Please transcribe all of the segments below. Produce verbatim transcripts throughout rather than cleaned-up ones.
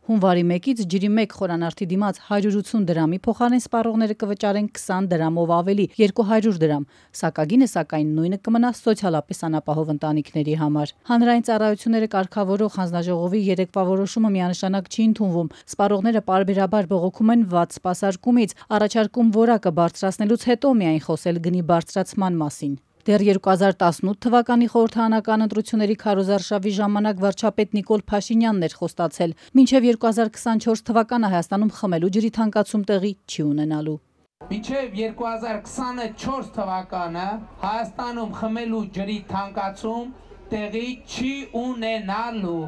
Հունվարի մեկից ջրի մեկ խորանարդի դիմաց հարյուր ութսուն դրամի փոխարեն սպառողները կվճարեն քսան դրամով ավելի երկու հարյուր դրամ, սակագինը սակայն նույնը կմնա սոցիալապես անապահով ընտանիքների համար։ Հանրային ծառայությունները կարգավորող հանձնաժողովի երեկվա որոշումը միանշանակ չի ընդունվում։ Սպառողները պարբերաբար բողոքում են վատ սպասարկումից, առաջարկում որակը բարձրացնելուց հետո միայն խոսել գնի բարձրացման մասին։ Դեռ երկու հազար տասնութ թվականի խորհրդարանական ընտրությունների քարոզարշավի ժամանակ վարչապետ Նիկոլ Փաշինյանն էր խոստացել, մինչև երկու հազար քսանչորս թվականը Հայաստանում խմելու ջրի թանկացում տեղի չի ունենալու։ Մինչև երկու հազար քսանչորս թվականը Հայաստանում խմելու ջրի թանկացում տեղի չի ունենալու։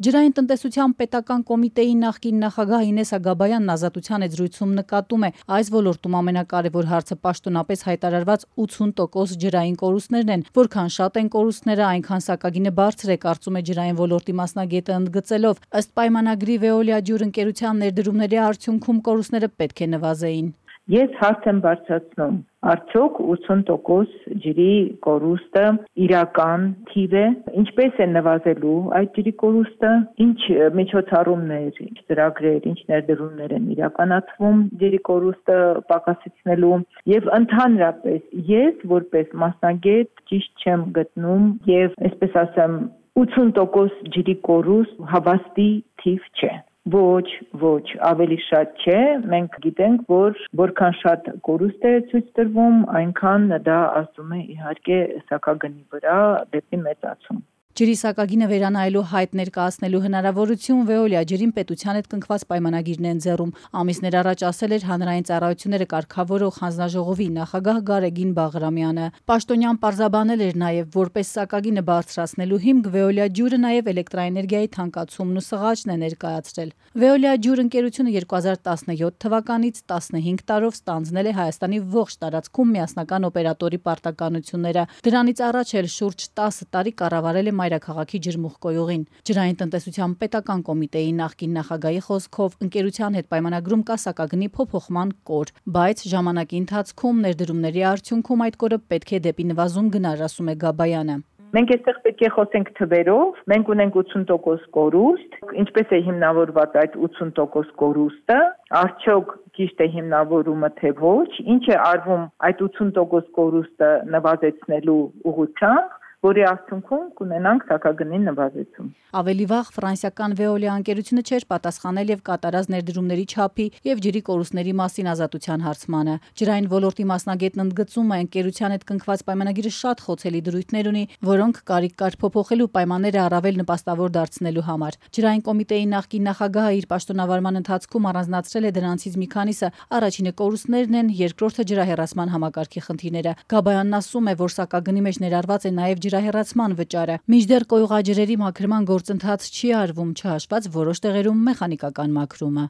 Ջրային տնտեսության պետական կոմիտեի նախկին նախագահ Ինես Ագաբայանն Ազատության եզրույցում նկատում է, այս ոլորտում ամենակարևոր հարցը պաշտոնապես հայտարարված ութսուն տոկոս ջրային կորուստներն են, որքան շատ են կորուստները, այնքան սակագինը բարձր է, կարծում է ջրային ոլորտի մասնագետը ընդգծելով։ Ըստ պայմանագրի Veolia ջուր ընկերության ներդրումների արդյունքում կորուստները պետք է նվազեին։ Ես հարց եմ բարձրացնում, արդյոք ութսուն տոկոս ջրի կորուստը իրական թիվ է, ինչպես է նվազելու այդ ջրի կորուստը, ինչ միջոցառումներ, ինչ ծրագրեր, ինչ ներդրումներ են իրականացվում ջրի կորուստը պակասեցնելու եւ ընդհանրապես ես որպես մասնագետ ճիշտ չեմ գտնում եւ այսպես ասեմ ութսուն տոկոս ջրի կորուստ հավաստի թիվ չէ։ Ոչ, ոչ, ավելի շատ չէ, մենք գիտենք, որ որքան շատ կորուստ է ցույց տրվում, այնքան դա ասում է իհարկե սակագնի վրա դեպի մեծացում։ Ջրի սակագինը վերանայելու հայտ ներկայացնելու հնարավորություն Veolia ջրին պետության հետ կնքված պայմանագիրն է ընձեռում։ Ամիսներ առաջ ասել էր հանրային ծառայությունները կարգավորող հանձնաժողովի նախագահ Գարեգին Բաղրամյանը։ Պաշտոնյան պարզաբանել էր նաև, որպես սակագինը բարձրացնելու հիմք Veolia ջուրը նաև էլեկտրաէներգիայի թանկացումն ու սղաճն է ներկայացրել։ Veolia ջուր ընկերությունը երկու հազար տասնյոթ թվականից տասնհինգ տարով ստանձնել է Հայաստանի ողջ տարածքում միասնական օպերատորի պարտականությունները։ Դրանից առաջ էլ շուրջ տասը տարի կառավարել է մայրաքաղաքի ջրմուղկոյուղին։ Ջրային տնտեսության պետական կոմիտեի նախկին նախագահի խոսքով ընկերության հետ պայմանագրում կա սակագնի փոփոխման կոր, բայց ժամանակի ընթացքում ներդրումների արդյունքում այդ կորը պետք է դեպի նվազում գնար, ասում է Գաբայանը։ Մենք այստեղ պետք է խոսենք թվերով, մենք ունենք ութսուն տոկոս կորուստ, ինչպես է հիմնավորված այդ ութսուն տոկոս կորուստը, արդյոք ճիշտ է հիմնավորումը թե ոչ, ինչ է արվում այդ ութսուն տոկոս կորուստը նվազեցնելու ուղղությամբ, որի արդյունքում կունենանք սակագնի նվազեցում։ Ավելի վաղ ֆրանսիական Veolia ընկերությունը չէր պատասխանել եւ կատարած ներդրումների չափի եւ ջրի կորուստների մասին Ազատության հարցմանը։ Ջրային ոլորտի մասնագետն ընդգծում է, ընկերության հետ կնքված պայմանագիրը շատ խոցելի դրույթներ ունի, որոնք կարիք կար փոփոխելու պայմանները առավել նպաստավոր դարձնելու համար։ Ջրային կոմիտեի նախկին նախագահը իր պաշտոնավարման ընթացքում առանձնացրել է դրանցից մի քանիսը, առաջինը կորուստներն են, երկրորդը ջրահեռացման համակարգի խնդիրները։ Գաբայանն ասում է, որ սակագնի մեջ ներառված է նաեւ ջրահեռացման վճարը։ Մինչդեռ կոյուղաջրերի մաքրման գործընթաց չի արվում, չհաշված որոշ տեղերում մեխանիկական մաքրումը։